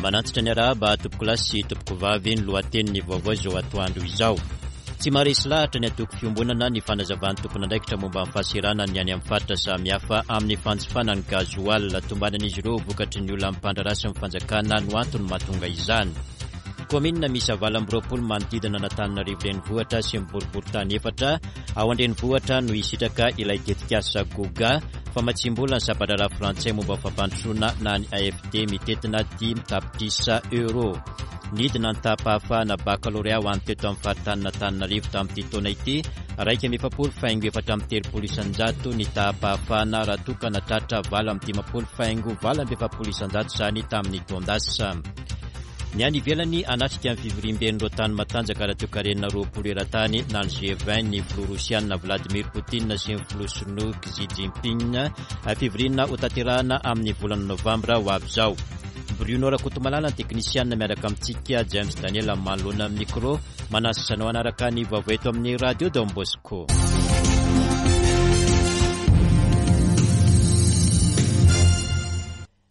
Manantitra ny arahaba tompokolahy sy tompokovavy ny lohatenin'ny vaovao izao atoandro izao. Tsy maharesy lahatra ny antoko fiombonana ny fanazavan'ny tompon'andraikitra momba ny fahaseranan'ny any amin'ny faritra samihafa amin'ny fanjifana ny gasoil. Tombanan'izy ireo vokatry ny olan'ny mpandraharaha sy ny fanjakana no antony mahatonga izany. Kaominina miisa 28 manodidina an'Antananarivo renivohitra sy ny boriborintany efatra ao an-drenivohitra no hisitraka ilay tetikasa Goga, famatsiam-bola ny sampandraharaha frantsay momba ny fampandrosoana na ny AFD mitentina 5 tapitrisa euro. Nidina ny taham-pahafahana bakalorea ho an'ny teto amin'ny faritanin'Antananarivo tamin'ity taona ity, 41,34% ny taham-pahafahana raha toa ka nahatratra 58,48% izany tamin'ny taon-dasa. Ny any ivelany hanatrika ny fivoriamben'ireo tany matanjaka ara-toekarena 20 eran-tany na ny G20 ny filoha rosiana Vladimir Poutine sy ny filoha sinoa Xi Jinping. Fivoriana hotanterahana amin'ny volana novambra ho avy izao. Bruno Rakotomalala ny teknisianina miaraka amintsika, James Daniel manoloana ny micro. Manasa anao hanaraka ny vaovao eto amin'ny Radio Don Bosco.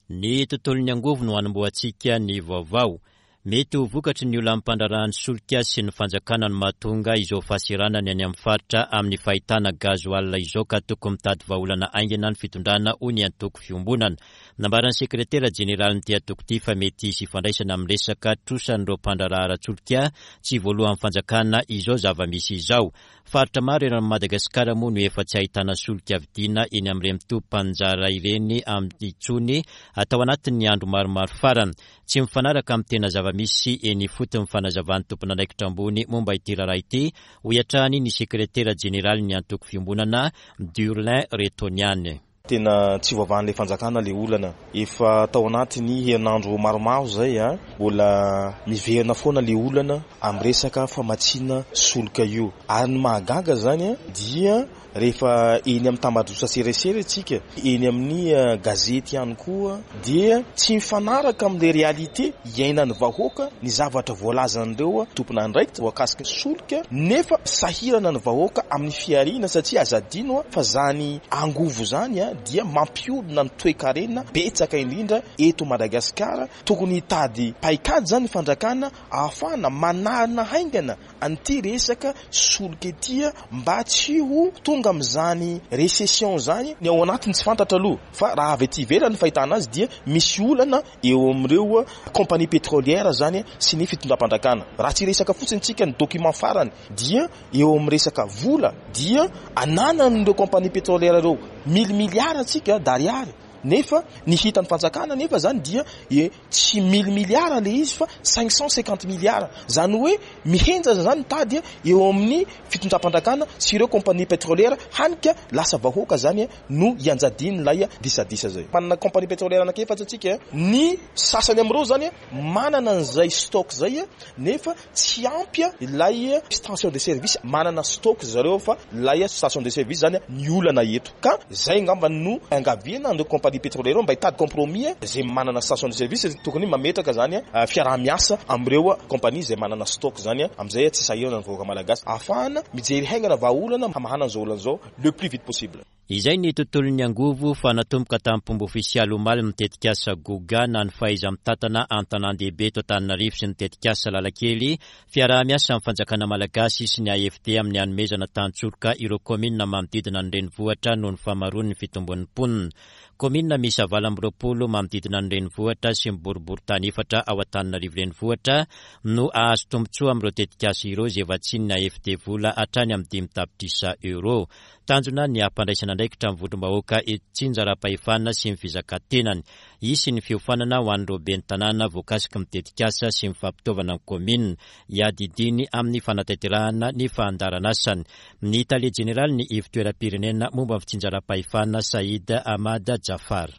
Ny tontolon'ny angovo no hanombohantsika ny vaovao. Mety ho vokatry ny olan'ny mpandraharahan'ny solika sy ny fanjakana no mahatonga izao fahaseranana any amin'ny faritra amin'ny fahitana gasoil izao ka tokony mitady vahaolana haingana ny fitondrana hoy ny antoko Fiombonana. Nambaran'ny sekretera jeneralin'ity antoko ity fa mety hisy ifandraisana amin'ny resaka trosan'ireo mpandraharaha ara-tsolika tsy voalohan'ny fanjakana izao zava-misy izao. Faritra maro eran'i Madagasikara moa no efa tsy ahitana solika vidiana eny amin'ireny toby mpaninjara ireny intsony tao anatin'ny andro maromaro farany. Tsy mifanaraka amin'ny tena zava-misy eny ifotony ny fanazavan'ny tompon'andraikitra ambony momba ity raharaha ity, hoy hatrany ny sekretera jeneralin'ny antoko Fiombonana, Durlin Retoniany. Tena tsy voavahan'ilay fanjakana ilay olana. Efa tao anatin'ny herinandro maromaro izay, mbola miverina foana ilay olana amin'ny resaka famatsiana solika io. Ary ny mahagaga izany dia rehefa eny amin'ny tambajotra serasera isika, eny amin'ny gazety ihany koa dia tsy mifanaraka amin'ilay réalité iainan'ny vahoaka ny zavatra voalazan'ireo tompon'andraikitra voakasiky ny solika nefa sahirana ny vahoaka amin'ny fihariana satria aza adino fa zany angovo zany dia mampiodina ny toekarena betsaka indrindra eto Madagasikara, tokony hitady paikady zany ny fanjakana ahafahana manarina haingana an'ity resaka solika ity mba tsy ho tonga amin'izany récession izany, ny ao anatiny tsy fantatra aloha fa raha avy aty ivelany ny fahitana azy dia misy olana eo amin'ireo compagnie pétrolière izany sy ny fitondram-panjakana. Raha tsy hiresaka fotsiny tsika ny document farany dia eo amin'ny resaka vola dia ananan'ireo compagnie pétrolière ireo mille milliards tsika d'ariary nefa ny hitan'ny fanjakana nefa zany dia e tsy mille milliards le izy fa 550 milliards zany hoe mihenjana zany tady eo amin'ny fitondram-panjakana sy ireo compagnie pétrolière hany ka lasa vahoaka zany no ianjadian'ilay disadisa zay. Manana compagnie pétrolière anankiefatra tsika, ny sasany amin'ireo zany manana an'izay stock zay nefa tsy ampy ilay station de service, manana stock zareo fa ilay station de service zany ny olana eto ka zay angamba no iangaviana an'ireo compagnie pétrolière ireo mba hitady compromis zay manana station de service tokony mametraka zany fiaraha-miasa amin'ireo compagnie zay manana stock zany amin'izay tsy sahirana ny vahoaka malagasy ahafahana mijery haingana vahaolana hamahana an'izao olana izao le plus vite possible. Izay ny tontolon'ny angovo fa natomboka tamin'ny-pomba ofisialy omaly ny tetikasa Goga na ny fahaiza-mitantana an-tanàn-dehibe eto Antananarivo sy ny tetikasa Lalakely, fiaraha-miasa amin'ny fanjakana malagasy sy ny AFD amin'ny hanomezana tantsoroka ireo kaominina manodidina ny renivohitra noho ny fahamaroan'ny fitombon'ny mponina. Kaominina miisa 28 manodidina ny renivohitra sy ny boriborintany efatra ao Antananarivo renivohitra no hahazo tombontsoa amin'ireo tetikasa ireo izay vatsian'ny AFD vola hatrany amin'ny 5 tapitrisa euros. Tanjona ny hampandraisana andraikitra ny vondrom-bahoaka itsinjaram-pahefana sy ny fizakan-tenany. Hisy ny fiofanana ho an'ireo ben'ny tanàna voakasiky ny tetikasa sy ny fampitaovana ny kaominina hiadidiany amin'ny fanatanterahana ny fandaharanasany. Ny tale jeneralin'ny Ivotoeram-pirenena momba ny fitsinjaram-pahefana Said Ahmad Jaffar.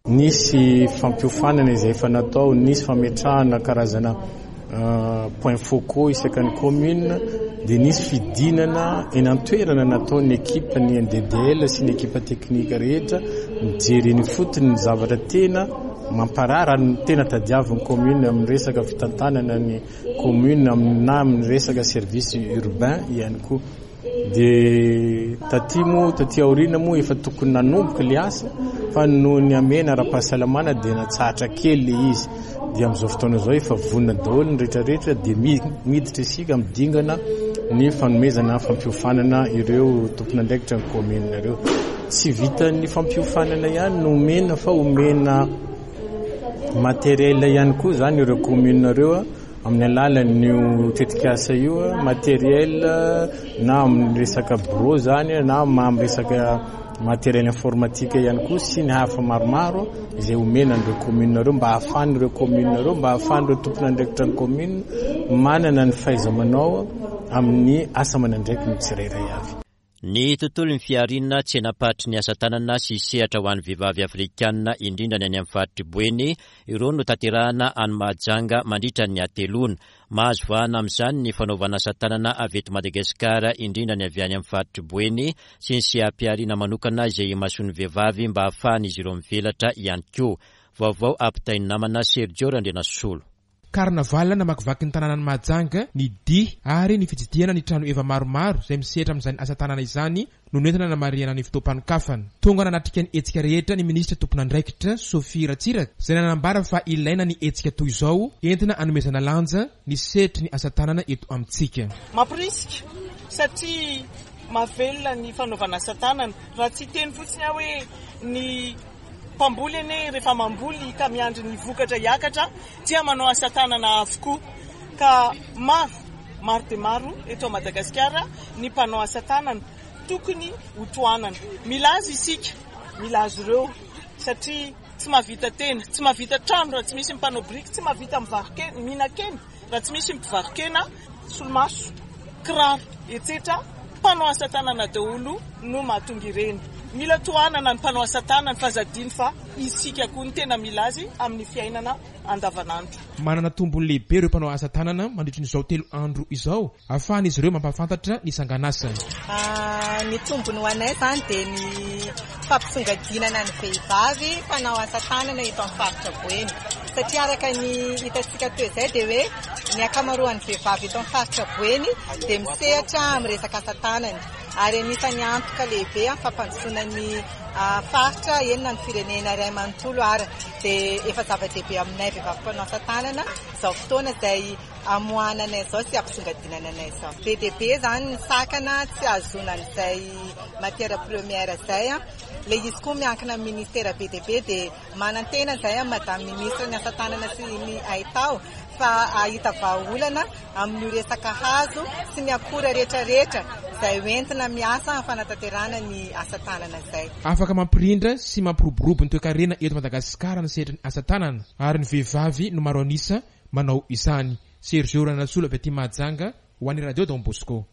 Nisy fampiofanana izay efa natao, nisy fametrahana karazana points focaux isaka ny commune, dia nisy fidinana eny an-toerana nataon'ny ekipa ny NDDL sy ny ekipa teknika rehetra mijery eny ifotony ny zavatra tena mamparary ary ny tena tadiavin'ny commune amin'ny resaka fitantanana ny commune na amin'ny resaka service urbain ihany koa. Dia taty moa, taty aoriana moa efa tokony nanomboka ilay asa fa noho ny hamehana ara-pahasalamana dia natsahatra kely ilay izy. Dia amin'izao fotoana izao efa vonona daholo ny rehetra rehetra dia miditra isika amin'ny dingana ny fanomezana fampiofanana ireo tompon'andraikitra ny kaominina ireo. Tsy vitan'ny fampiofanana ihany no omena fa omena matériel ihany koa izany ireo kaominina ireo amin'ny alalan'io tetikasa io, matériel na amin'ny resaka bureau izany na amin'ny resaka matériel informatique ihany koa sy ny hafa maromaro izay omena an'ireo commune ireo mba hahafahan'ireo commune ireo mba hahafahan'ireo tompon'andraikitra ny commune manana ny fahaiza-manao amin'ny asa aman'andraikiny tsirairay avy. Ny tontolon'ny fihariana, tsenam-paritry ny asa tanana sy sehatra ho an'ny vehivavy afrikanina, indrindra ny any amin'ny faritr'i Boeny, ireo no tanterahana any Mahajanga mandritra ny hateloana. Mahazo vahana amin'izany ny fanaovana asa tanana avy eto Madagasikara, indrindra ny avy any amin'ny faritr'i Boeny, sy ny seha-pihariana manokana izay imasoan'ny vehivavy mba hahafahan'izy ireo mivelatra ihany koa. Vaovao ampitain'ny namana Sergio Randrianasolo. Carnaval namakivaky ny tanànan'i Mahajanga, ny dihy ary ny fitsidihana ny trano heva maromaro izay misehatra amin'izany asa tanana izany no nentina nanamarihana ny fotoam-panokafana. Tonga nanatrika ny hetsika rehetra ny minisitra tompon'andraikitra, Sophie Ratsiraka, izay nanambara fa ilaina ny hetsika toy izao entina hanomezana lanja ny sehatry ny asa tanana eto amintsika. Mamporisika satria mahavelona ny fanaovana asa tanana. Raha tsy hiteny fotsiny aho hoe ny mpamboly anie rehefa mamboly ka miandry ny vokatra hiakatra dia manao asa tanana avokoa. Ka maro, maro dia maro eto Madagasikara ny mpanao asa tanana tokony ho tohanana. Mila azy isika, mila azy ireo satria tsy mahavita tena, tsy mahavita trano raha tsy misy ny mpanao biriky, tsy mahavita mivaro-kena, mihinan-kena raha tsy misy ny mpivaro-kena, solomaso, kiraro, etsetra, mpanao asa tanana daholo no mahatonga ireny. Mila tohanana ny mpanao asa tanana fa aza adino fa isika koa no tena mila azy amin'ny fiainana andavanandro. Manana tombony lehibe ireo mpanao asa tanana mandritry ny izao telo andro izao ahafahan'izy ireo mampahafantatra ny sanganasany. Ny tombony ho anay izany dia ny fampisongadinana ny vehivavy mpanao asa tanana eto amin'ny faritra Boeny satria araka ny hitantsika teo izay dia hoe ny ankamaroan'ny vehivavy eto amin'ny faritra Boeny dia misehatra amin'ny resaka asa tanana ary anisan'ny antoka lehibe amin'ny fampandrosoana ny faritra eny na ny firenena iray manontolo ary dia efa zava-dehibe aminay vehivavy mpanao asa tanana izao fotoana izay amoahana anay izao sy ampisongadinana anay izao. Be dia be izany ny sakana tsy ahazoana an'izay matière première izay. Ilay izy koa miankina amin'ny ministera be dia be dia manantena izahay amin'ny madame ministre ny asa tanana sy ny haitao fa hahita vahaolana amin'io resaka hazo sy ny akora rehetra rehetra izay hoentina miasa amin'ny fanatanterahana ny asa tanana izay. Afaka mampirindra sy mampiroborobo ny toekarena eto Madagasikara ny sehatry ny asa tanana ary ny vehivavy no maro an'isa manao izany. Sergio Ranasolo avy aty Mahajanga ho an'ny Radio Don Bosco.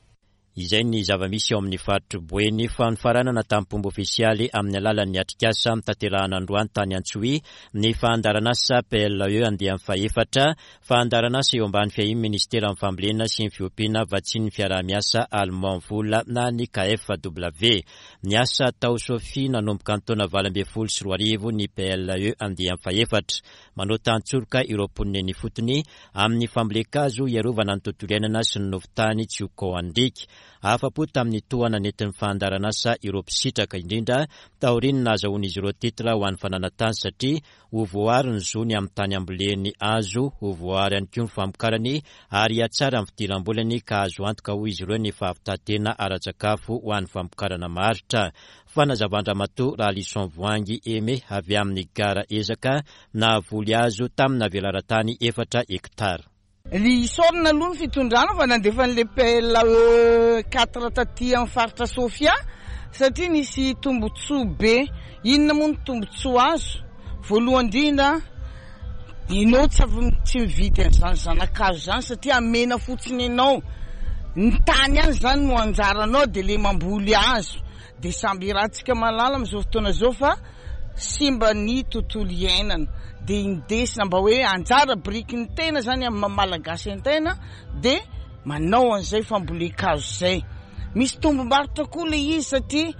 Izay ny zava-misy ao amin'ny faritr'i Boeny fa nofaranana tamim-pomba ofisialy amin'ny alalan'ny atrikasa notanterahana androany tany Antsohihy ny fandaharanasa PLE andiany fahefatra, fandaharanasa eo ambany fiahian'ny Minisiteran'ny Fambolena sy ny Fiompiana vatsian'ny fiaraha-miasa Allemand Vola na ny KFW. Niasa tao Sofia nanomboka ny taona 2018 ny PLE andiany fahefatra. Manao tantsoroka ireo mponina eny ifotony amin'ny fambolen-kazo hiarovana ny tontolo iainana sy ny nofon-tany tsy ho kaohan-driaka. Afa-po tamin'ny tohana nentin'ny fandaharanasa ireo mpisitraka, indrindra taorian'ny nahazahoan'izy ireo titre ho an'ny fananan-tany satria ho voaaro ny zony amin'ny tany amboleny azo, ho voaaro ihany koa ny famokarany ary hihatsara ny fidiram-bolany ka azo antoka hoy izy ireo ny fahavitan-tena ara-tsakafo ho an'ny famokarana maharitra. Fanazavan-dRamatoa Ralison Voahangy Aimé avy amin'ny Gara Ezaka nahavoly azo tamina velaran-tany efatra hektara. Ry isaorana aloha ny fitondrana fa nandefa an'ilay PLAE quatre taty amin'ny faritra Sofia satria nisy tombotsoa be. Inona moa ny tombotsoa azo? Voalohany indrindra, ianao tsy avy tsy mividy an'izany zana-kazo izany satria amena fotsiny ianao. Ny tany ihany izany no anjaranao dia ilay mamboly hazo. Dia samby iarahantsika mahalala amin'izao fotoana izao fa simba ny tontolo iainana. Dia indesina mba hoe anjara birikin'ny tena izany amin'ny maha Malagasy an-tena dia manao an'izay fambolen-kazo izay. Misy tombom-barotra koa ilay izy satria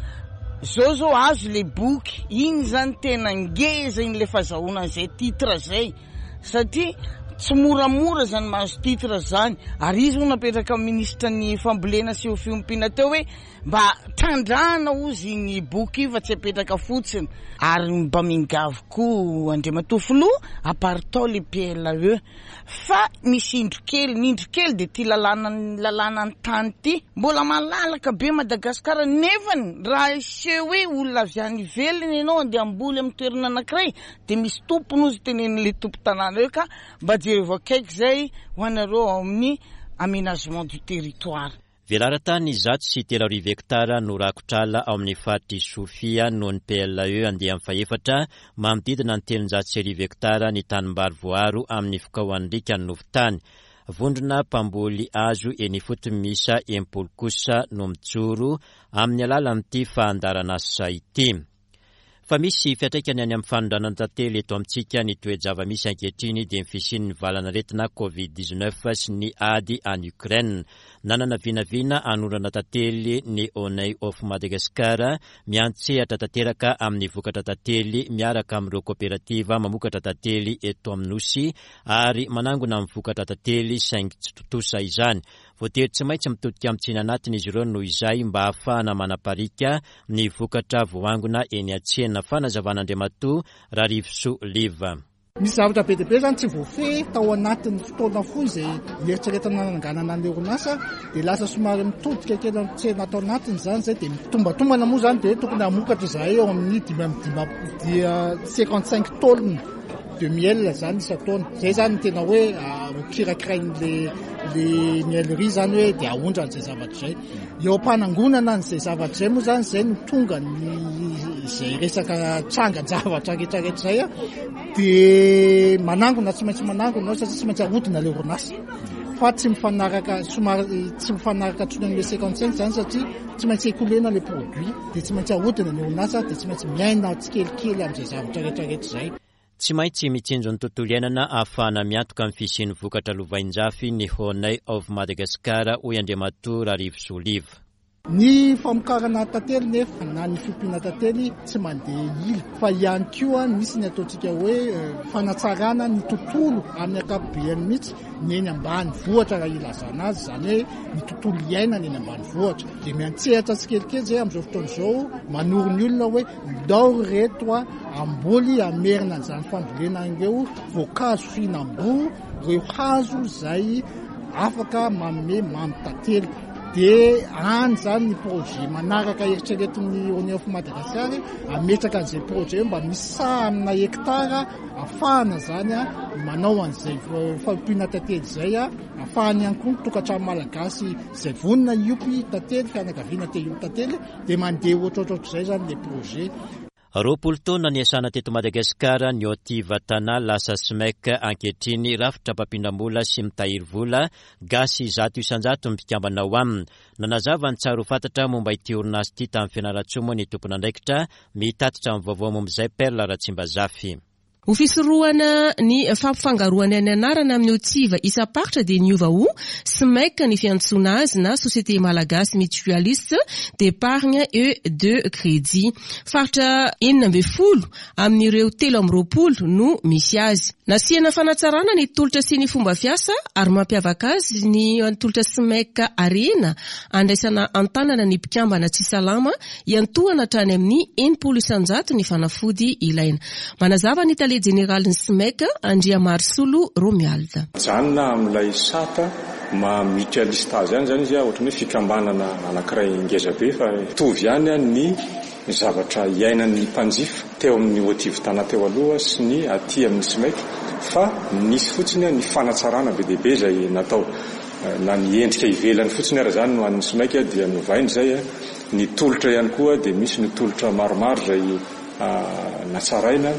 izao izao azo ilay boky, iny izany tena ngeza iny ilay fahazahoana an'izay titre izay satria tsy moramora izany mahazo titre izany ary izy moa napetraka amin'ny minisitra ny fambolena sy fiompiana teo hoe. Mba trandrahana ozy iny boky io fa tsy apetraka fotsiny. Ary mba mingavy koa Andriamatoa Filoha, aparitao le PLAE. Fa misy indro kely, ny indro kely dia ity lalàna lalàna ny tany ity. Mbola malalaka be Madagasikara nefany raha hiseho hoe olona avy any ivelany ianao andeha hamboly amin'ny toerana anankiray dia misy tompony ozy tenenin'ilay tompon-tanàna eo ka mba jerevo akaiky izay ho anareo ao amin'ny aménagement du territoire. Velaran-tany 103 hektara no rakotr'ala ao amin'ny faritr'i Sofia noho ny PLAE andiany fahefatra, manodidina ny 1300 hektara ny tanimbary voaaro amin'ny fikaohan'ny riaka ny nofon-tany. Vondrona mpamboly hazo eny ifotony miisa 60 kosa no mijoro amin'ny alalan'ity fandaharanasa ity. Fa misy fiantraikany any amin'ny fanondranana tantely eto amintsika ny toe-java-misy ankehitriny dia ny fisian'ny valan'aretina Covid 19 sy ny ady any Ukraine. Nanana vinavina hanondrana tantely ny Honey of Madagascar miantsehatra tanteraka amin'ny vokatra tantely miaraka amin'ireo koperativa mamokatra tantely eto amin'ny Nosy ary manangona ny vokatra tantely saingy tsy tontosa izany. Voatery tsy maintsy mitodika amin'ny tsena anatiny izy ireo noho izay mba hahafahana manapariaka ny vokatra voaangona eny an-tsena. Fanazavan'Andriamatoa Rarivosoa Liva. Misy zavatra be dia be izany tsy voafehy tao anatin'ny fotoana fohy izay nieritreretana nananganana ny orinasa dia lasa somary mitodika kely amin'ny tsena ato anatiny izany izay dia mitombatombana moa izany dia tokony hamokatra izahay eo amin'ny 55 dia 55 taonina de miel izany isan-taona. Izay izany no tena hoe ho kirakirain'le le miellerie izany hoe dia aondrana izay zavatra izay. Eo am-panangonana an'izay zavatra izay moa izany izay no tonga ny izay resaka trangan-javatra rehetra rehetra izay dia manangona tsy maintsy manangona ao satria tsy maintsy ahodina ilay orinasa fa tsy mifanaraka somary tsy mifanaraka intsony amin'ilay 55 izany satria tsy maintsy écoulena ilay produit dia tsy maintsy ahodina ny orinasa dia tsy maintsy miaina tsikelikely amin'izay zavatra rehetra rehetra izay. Tsy maintsy mitsinjo ny tontolo iainana ahafahana miantoka ny fisian'ny vokatra lovainjafy ny Honey of Madagascar, hoy Andriamatoa Rarivosoa Liva. Ny famokarana tantely nefa na ny fiompiana tantely tsy mandeha ila fa ihany koa misy ny ataontsika hoe fanatsarana ny tontolo amin'ny ankapobeany mihitsy ny eny ambanivohitra raha ilazana azy, izany hoe ny tontolo iainana eny ambanivohitra. Dia miantsehatra tsikelikely izay amin'izao fotoana izao manoro ny olona hoe ndao ry reto a hamboly hamerina an'izany fambolena ireo voankazo fihinam-boa, ireo hazo izay afaka manome mamy tantely. Dia any izany ny projet manaraka eritreretin'ny Honey of Madagascar hametraka an'izay projet io mba misy saha amina hectare ahafahana izany manao an'izay fanompiana tantely izay, ahafahany ihany koa ny tokantrano malagasy izay vonona hiompy tantely, fianakaviana te hiompy tantely dia mandeha ohatrohatrohatr'izay izany ilay projet. 20 taona niasana teto Madagasikara ny Otiv Tana lasa SMEC ankehitriny, rafitra mpampindram-bola sy mitahiry vola, gasy 100% ny mpikambana ao aminy. Nanazava ny tsara ho fantatra momba ity orinasa ity tany Fianarantsoa moa ny tompon'andraikitra mitatitra ny vaovao momba izay Perle Ratsimbazafy. Ho fisorohana ny fampifangaroana ny anarana amin'ny Otsiva isam-paritra dia niova ho SMEC ny fiantsoana azy na Société Malagasy Mutualiste d'Epargne et de Crédit. Faritra 16 amin'ireo 23 no misy azy. Nasiana fanatsarana ny tolotra sy ny fomba fiasa ary mampiavaka azy ny tolotra SMEC Arena andraisana an-tanana ny mpikambana tsy salama Iantohana hatrany amin'ny 60% ny fanafody ilaina. Manazava ny tale jeneralin'ny SMEC, Andriamarosolo Romuald. Mijanona amin'ilay sata maha mutualiste azy ihany izany izy, ohatran'ny hoe fikambanana anankiray ngeza be fa mitovy ihany ny zavatra iainan'ny mpanjifa teo amin'ny Otiv Tana teo aloha sy ny aty amin'ny SMEC fa nisy fotsiny ny fanatsarana be dia be izay natao. Na ny endrika ivelany fotsiny ara izany no an'ny SMEC dia novaina izay. Ny tolotra ihany koa dia misy ny tolotra maromaro izay natsaraina,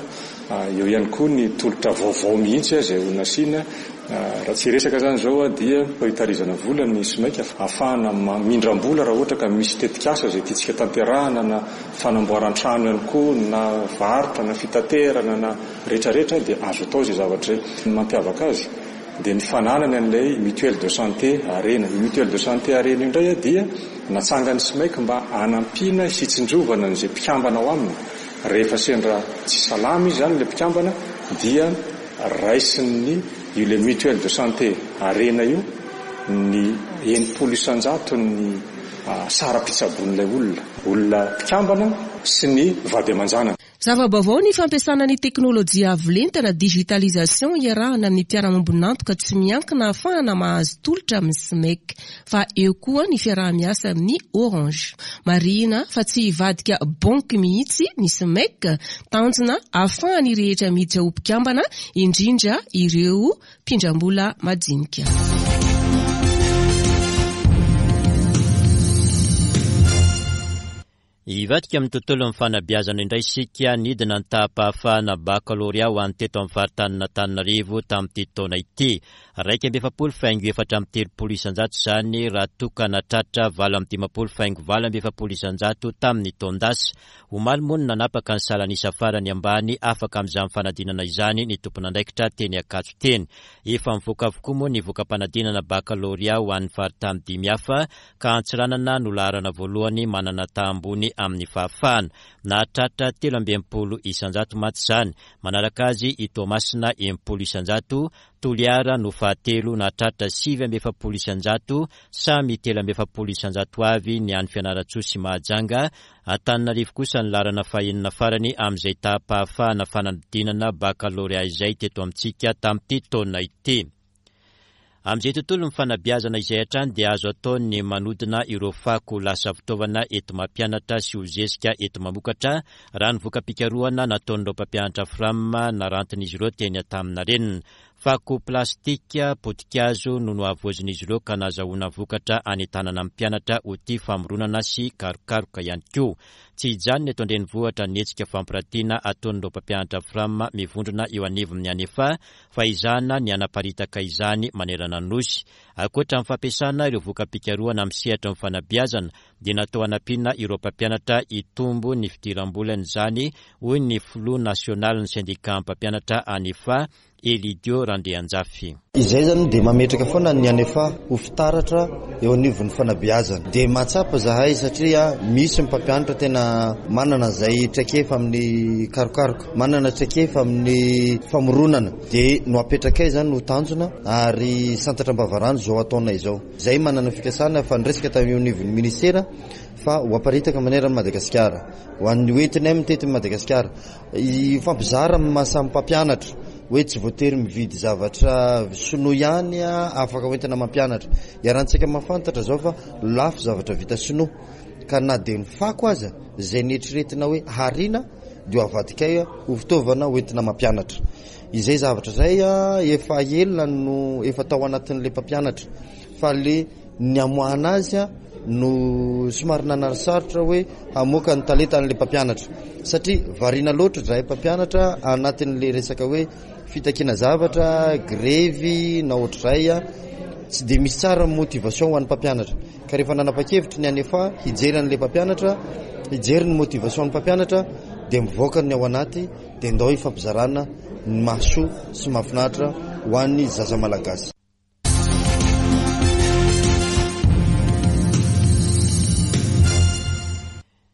eo ihany koa ny tolotra vaovao mihitsy izay ho nasiana. Raha tsy hiresaka izany izao dia hitarizana vola ny SMEC ahafahana mamindram-bola raha ohatra ka misy tetikasa izay tiantsika tanterahana na fanamboaran-trano ihany koa na varotra na fitaterana na rehetrarehetra dia azo atao izay zavatra izay. Ny mampiavaka azy dia ny fananany an'ilay mutuelle de santé Arena. Io mutuelle de santé Arena io indray dia natsangan'ny SMEC mba hanampiana hitsinjovana an'izay mpikambana ao aminy. Rehefa sendra tsy salama izy izany ilay mpikambana dia raisin'ny io ilay mutuelle de santé Arena io ny 60 isan-jaton'ny. saram-pitsaboan'ilay olona, olona mpikambana sy ny vady aman-janany. Zava-baovao ny fampiasana ny teknolojia avo lenta na digitalisation iarahana amin'ny mpiara-mombon'antoka tsy miankina ahafahana mahazo tolotra amin'ny SMEC fa eo koa ny fiaraha-miasa amin'ny Orange. Marihina fa tsy hivadika banky mihitsy ny SMEC, tanjona ahafahan'ny rehetra miditra ho mpikambana indrindra ireo mpindram-bola madinika. Hivadika amin'ny tontolon'ny fanabeazana indray isika, nidina ny taham-pahafahana bakalorea ho an'ny teto amin'ny faritanin'Antananarivo tamin'ity taona ity. 41 faingo 34% izany raha toa ka nahatratra 58 faingo 48% tamin'ny taon-dasa. Omaly moa no nanapaka ny salan'isa farany ambany afaka amin'izany fanadinana izany ny tompon'andraikitra teny Ankatso teny. Efa mivoaka avokoa moa ny voka-panadinana bakalorea ho an'ny faritany dimy hafa ka Antsiranana no laharana voalohany manana taha ambony amin'ny fahafahana. Nahatratra 63% mantsy izany. Manaraka azy i Toamasina 60%, Toliara no fahatelo nahatratra 49%, samy 43% avy ny any Fianarantsoa sy Mahajanga, Antananarivo kosa ny laharana fahenina farany amin'izay taham-pahafahana fanadinana bakalorea izay teto amintsika tamin'ity taona ity. Amin'izay tontolon'ny fanabeazana izay hatrany dia azo atao ny manodina ireo fako ho lasa fitaovana enti-mampianatra sy ho zezika enti-mamokatra, raha ny voka-pikarohana nataon'ireo mpampianatra Fram narantin'izy ireo teny Antaninarenina. Fako plastika, potikazo no nohavoazin'izy ireo ka nazahoana vokatra hanentanana ny mpianatra ho tia famoronana sy karokaroka ihany koa. Tsy hijanona eto an-drenivohitra ny hetsika fampiratiana ataon'ireo mpampianatra Fram mivondrona eo anivon'ny Anefa fa ezahana ny hanaparitaka izany manerana ny Nosy. Ankoatra ny fampiasana ireo voka-pikarohana amin'ny sehatry ny fanabeazana dia natao hanampiana ireo mpampianatra hitombo ny fidiram-bolany izany, hoy ny filoha nasionalin'ny sendikà mpampianatra Anefa, Elidio Randrianjafy. Izay izany dia mametraka foana ny Anefa ho fitaratra eo anivon'ny fanabeazana. Dia mahatsapa izahay satria misy ny mpampianatra tena manana izay traikefa amin'ny karokaroka. Manana traikefa amin'ny famoronana dia no apetrakay izany no tanjona ary santatra am-bavarano izao ataonay izao. Izay manana fikasana fa niresaka tamin'ny eo anivon'ny ministera fa ho aparitaka manerana an'i Madagasikara. Ho an'ny ho entinay mitety an'i Madagasikara. Hifampizara amin'ny maha samy mpampianatra hoe tsy voatery mividy zavatra sinoa ihany afaka ho entina mampianatra. Iarahantsika mahafantatra izao fa lafo zavatra vita sinoa ka na dia ny fako aza izay neritreretina hoe hariana dia ho avadikay ho fitaovana ho entina mampianatra. Izay zavatra izay efa ela no efa tao anatin'ilay mpampianatra fa le ny amoahana azy no somary nanarisarotra hoe hamoaka ny talentan'ilay mpampianatra satria variana loatra izahay mpampianatra anatin'ilay resaka hoe fitakiana zavatra, grevy na ohatr'izay, tsy dia misy tsara ny motivation ho an'ny mpampianatra. Ka rehefa nanapa-kevitra ny ANEFA hijery an'ilay mpampianatra, hijery ny motivation ny mpampianatra dia mivoaka ny ao anaty dia ndao hifampizarana ny mahasoa sy mahafinaritra ho an'ny zaza malagasy.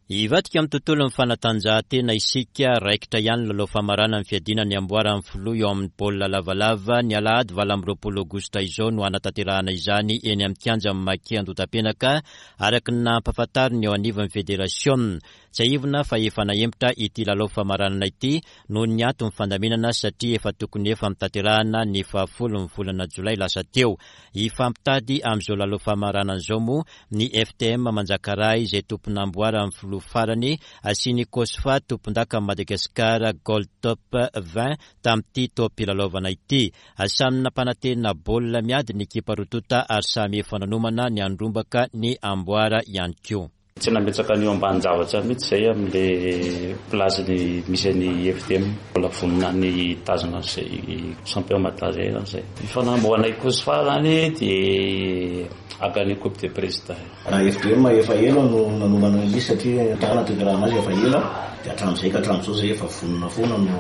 Hivadika amin'ny tontolon'ny fanatanjahantena isika, raikitra ihany ny lalao famaranan'ny fiadiana ny amboaran'ny filoha eo amin'ny baolina lavalava, ny alahady 28 aogositra izao no hanatanterahana izany eny amin'ny kianjan'ny Maki Andotapenaka, araka ny nampahafantarin'ny eo anivon'ny federasiona. Tsiahivina fa efa nahemotra ity lalao famaranana ity noho ny antony fandaminana satria efa tokony efa notanterahana ny fahafolon'ny volana jolay lasa teo. Hifampitady amin'izao lalao famaranana izao moa ny FTM Manjakaray izay tompon'amboaran'ny filoha farany sy ny Cosfa tompondakan'i Madagasikara Gold Top 20 tamin'ity taom-pilalaovana ity. Samy nampanantena baolina miady ny ekipa roa tonta ary samy efa nanomana ny handrombaka ny amboara ihany koa. Tsy nametraka an'io ambanin-javatra mihitsy izay amin'ilay place misy an'i FTM. Mbola vonona ny hitazona an'izay champion Mada izay izany izay. Ny fanamboanay Cosfa izany dia haka ny coupe de président. Raha FDM efa ela no nanomana an'ilay izy satria nanatanterahana azy efa ela dia hatramin'izay ka hatramin'izao izay efa vonona foana no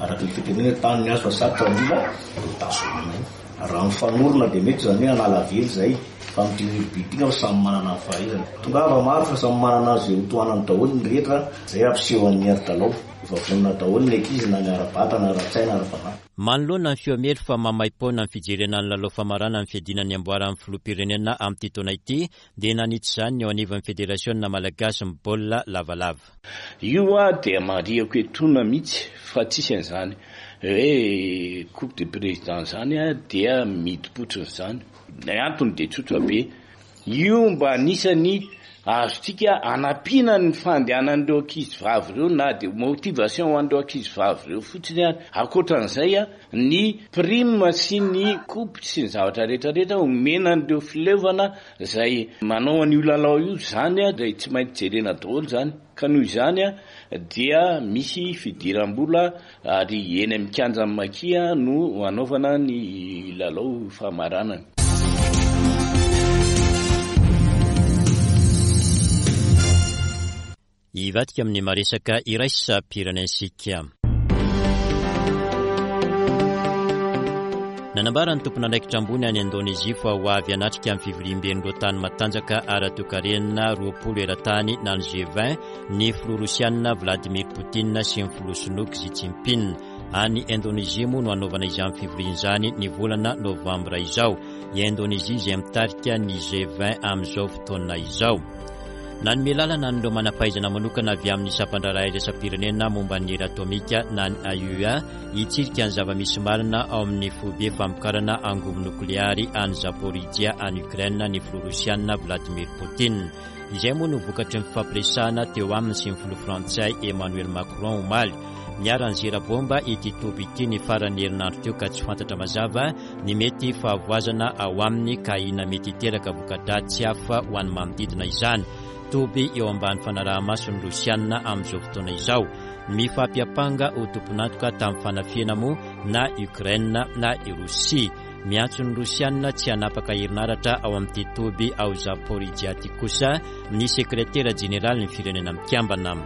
araka ny fitenenana hoe tany ny azo fa sarotra ny mila hotazomina io. Raha mifanorona dia mety izany hoe hanala vely izay fa amin'ity rugby ity angamba samy manana ny fahaizany. Tongava maro fa samy manana izay ho tohanany daholo ny rehetra izay hampiseho an'i Hery Dalao. Efa vonona daholo ny ankizy na ny ara-batana, ara-tsaina, ara-panahy. Manoloana ny feo miely fa maimaim-poana ny fijerena ny lalao famarana ny fiadiana ny amboaran'ny filoham-pirenena amin'ity taona ity dia nanitsy izany ny eo anivon'ny federasiona malagasy ny baolina lavalava. Io dia marihako etoana mihitsy fa tsisy an'izany hoe coupe de président izany dia midi-potsiny izany. Ny antony dia tsotra be, Io mba anisan'ny azontsika anampiana ny fandehanan'ireo ankizy vavy ireo na dia motivation ho an'ireo ankizy vavy ireo fotsiny ary. Ankoatran'izay, ny prime sy ny coupe sy ny zavatra rehetra rehetra omena an'ireo fileovana izay manao an'io lalao io izany dia tsy maintsy jerena daholo izany. Ka noho izany dia misy fidiram-bola Ary eny amin'ny kianjan'ny Maki no hanaovana ny lalao famaranana. Hivadika amin'ny maresaka iraisam-pirenentsika. Nanambara ny tompon'andraikitra ambony any Indonezia fa ho avy hanatrika ny fivoriamben'ireo tany matanjaka ara-toekarena 20 eran-tany na ny G20 ny filoha rosianina Vladimir Poutine sy ny filoha sinoa Xi Jinping. Any Indonezia moa no hanaovana izany fivoriana izany ny volana novambra izao. I Indonezia izay mitarika ny G20 amin'izao fotoana izao. Nanome lalana an'ireo manam-pahaizana manokana avy amin'ny sampan-draharaha iraisam-pirenena momba ny hery atomika na ny AIEA hitsirika ny zava-misy marina ao amin'ny foibe famokarana angovo nokleary any Zaporizhia any Ukraine ny filoha rosianina Vladimir Poutine. Izay moa no vokatry ny fifampiresahana teo aminy sy ny filoha frantsay Emmanuel Macron omaly. Niara-nizera baomba ity toby ity ny faran'ny herinandro teo ka tsy fantatra mazava ny mety fahavoazana ao aminy ka ahiana mety hiteraka voka-dratsy hafa ho an'ny manodidina izany. Toby eo ambany fanaraha-mason'ny Rosianina amin'izao fotoana izao. Mifampiampanga ho tompon'antoka tamin'ny fanafihana moa na Ukraine na i Rosia. Miantso ny Rosiana tsy hanapaka herinaratra ao amin'ity toby ao Zaporizhia ity kosa ny sekretera jeneralin'ny Firenena Mikambana.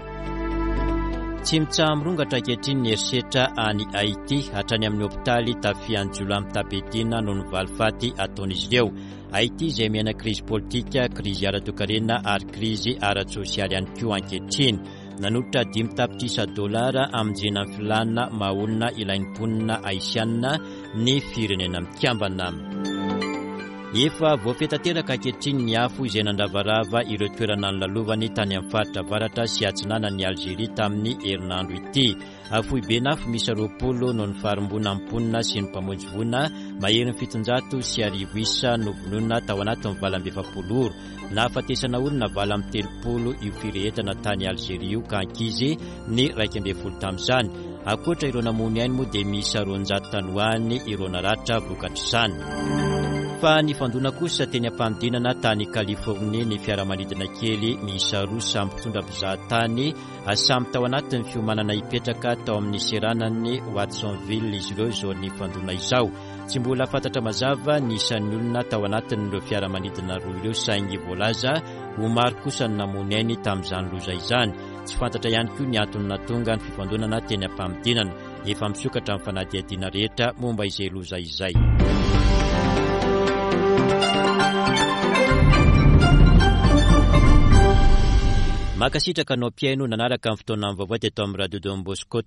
Tsy mitsaha-mirongatra ankehitriny ny herisetra any Haiti, hatrany amin'ny hopitaly tafihan'ny jiolahy mitam-piadiana noho ny valifaty ataon'izy ireo. Haiti izay miaina krizy politika, krizy ara-toekarena ary krizy ara-tsosialy ihany koa ankehitriny. Nanolotra 5 tapitrisa dolara hamonjena ny filàna maha olona ilain'ny mponina Haisiana ny Firenena Mikambana. Efa voafehy tanteraka ankehitriny ny afo izay nandravarava ireo toerana nilalovany tany amin'ny faritra avaratra sy atsinanan'i Alzeria tamin'ny herinandro ity. Foiben'afo miisa 20 no nifarimbona mponina sy ny mpamonjy voina maherin'ny 1700 isa novonoina tao anatin'ny 48 ora. Nahafatesana olona 38 io firehetana tany Alzeria io ka ankizy ny 11 tamin'izany. Ankoatra ireo namono ainy moa dia miisa 200 tany ho any ireo naratra vokatr'izany. Fa nifandona kosa teny am-panidinana tany Californie ny fiaramanidina kely miisa roa samy mpitondra mpizahatany samy tao anatin'ny fiomanana hipetraka tao amin'ny seranan'i Watsonville izy ireo izao nifandona izao. Tsy mbola fantatra mazava ny isan'ny olona tao anatin'ireo fiaramanidina roa ireo saingy voalaza ho maro kosa ny namono ainy tamin'izany loza izany. Tsy fantatra ihany koa ny antony nahatonga ny fifandonana teny am-panidinana. Efa misokatra ny fanadihadiana rehetra momba izay loza izay. Mankasitraka anao mpihaino nanaraka ny fotoanan'ny vaovao teto amin'ny Radio Don Bosco.